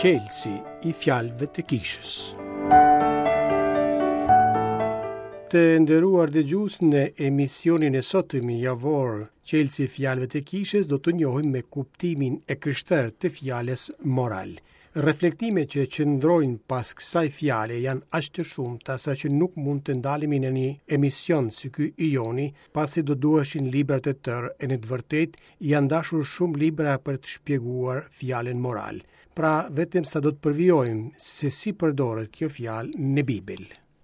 Çelësi i fjalëve të kishës. Të nderuar dëgjues në emisionin e sotëm javor Çelësi i fjalëve të kishës do të njohim me kuptimin e krishterë të fjalës moral. Reflektimet që qëndrojnë pas kësaj fjale janë aq të shumta sa që nuk mund të ndalemi në një emision si ky i joni, pasi do duheshin libra të tërë e në të vërtetë janë dashur shumë libra për të shpjeguar fjalën moral. Pra, vetëm sa do të përvijojmë se si përdoret kjo fjalë në Bibël.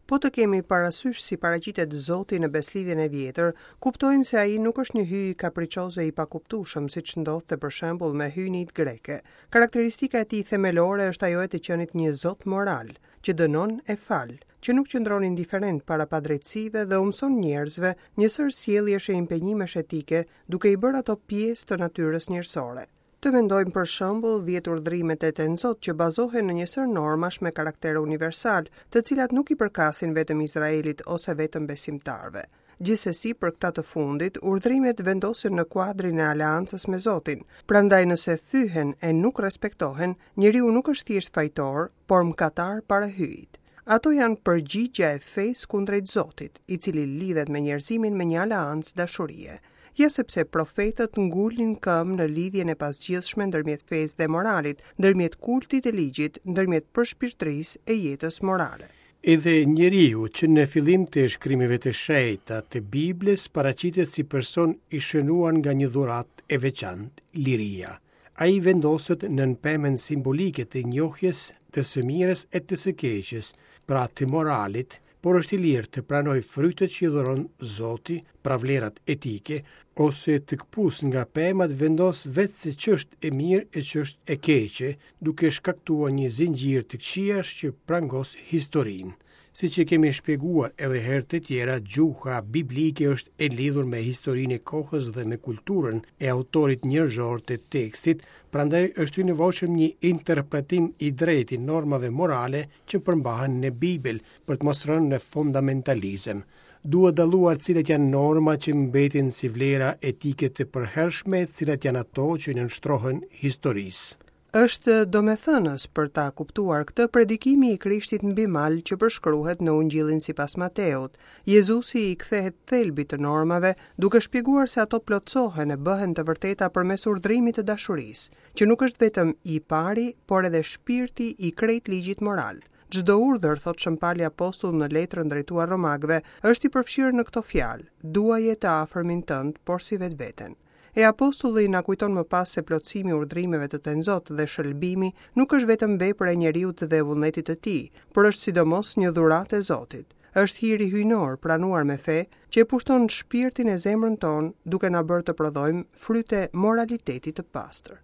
Po të kemi parasysh si paraqitet Zoti në Besëlidhjen e Vjetër, kuptojmë se ai nuk është një hyj kapriçoz e i pakuptueshëm, siç ndodhte për shembull me hyjnitë greke. Karakteristika e tij themelore është ajo e të qenit një Zot moral, që dënon e fal, që nuk qëndron indiferent para padrejtësive dhe u mëson njerëzve një sërë sjelljesh e impenjimesh etike, duke i bërë ato pjesë të natyrës njerëzore. Të mendojmë për shembull dhjetë urdhrimet e Tenzot që bazohen në një sërë normash me karakter universal, të cilat nuk i përkasin vetëm Izraelit ose vetëm besimtarëve. Gjithsesi për këta të fundit, urdhrimet vendosen në kuadrin e aleancës me Zotin, prandaj nëse thyhen e nuk respektohen, njeriu nuk është thjesht fajtor, por mëkatar para Hyjit. Ato janë përgjigja e fesë kundrejt Zotit, i cili lidhet me njerëzimin me një aleancë dashurie. Ja sepse profetët ngulnin këmbë në lidhjen e pazgjidhshme ndërmjet fesë dhe moralit, ndërmjet kultit e ligjit, ndërmjet përshpirtërisë e jetës morale. Edhe njeriu që në fillim të shkrimeve të shenjta të Biblës paraqitet si person i shënuar nga një dhuratë e veçantë, liria. Ai vendoset nën pemën simbolike të njohjes të së mirës e të së keqes, pra të moralit, por është i lirë të pranojë frytet që i dhuron Zoti, pra vlerat etike, ose të këpusë nga pema të vendosë vetë se ç'është e mirë e ç'është e keqe, duke shkaktuar një zinxhir të këqijash që prangos historinë. Siç e kemi shpjeguar edhe herë të tjera, gjuha biblike është e lidhur me historinë e kohës dhe me kulturën e autorit njerëzor të tekstit, prandaj është i nevojshëm një interpretim i drejtë i normave morale që përmbahen në Bibël, për të mos rënë në fundamentalizëm. Duhet dalluar cilat janë norma që mbeten si vlera etike të përhershme, cilat janë ato që i nënshtrohen historisë. Është domethënës për ta kuptuar këtë predikimi i Krishtit mbi mal që përshkruhet në Ungjillin sipas Mateut. Jezusi i kthehet thelbit të normave, duke shpjeguar se ato plotësohen e bëhen të vërteta përmes urdhrimit të dashurisë, që nuk është vetëm i pari, por edhe shpirti i krejt ligjit moral. Çdo urdhër, thotë Shën Pali Apostull në letrën drejtuar Romakëve, është i përfshirë në këto fjalë, duaje të afërmin tënd, porsi vetveten. E apostulli na kujton më pas se plotësimi i urdhrimeve të Tenzot dhe shëlbimi nuk është vetëm vepër e njeriut dhe e vullnetit të tij, por është sidomos një dhuratë e Zotit. Është hiri hyjnor, pranuar me fe, që e pushton shpirtin e zemrën tonë, duke na bërë të prodhojmë fryte moraliteti të pastër.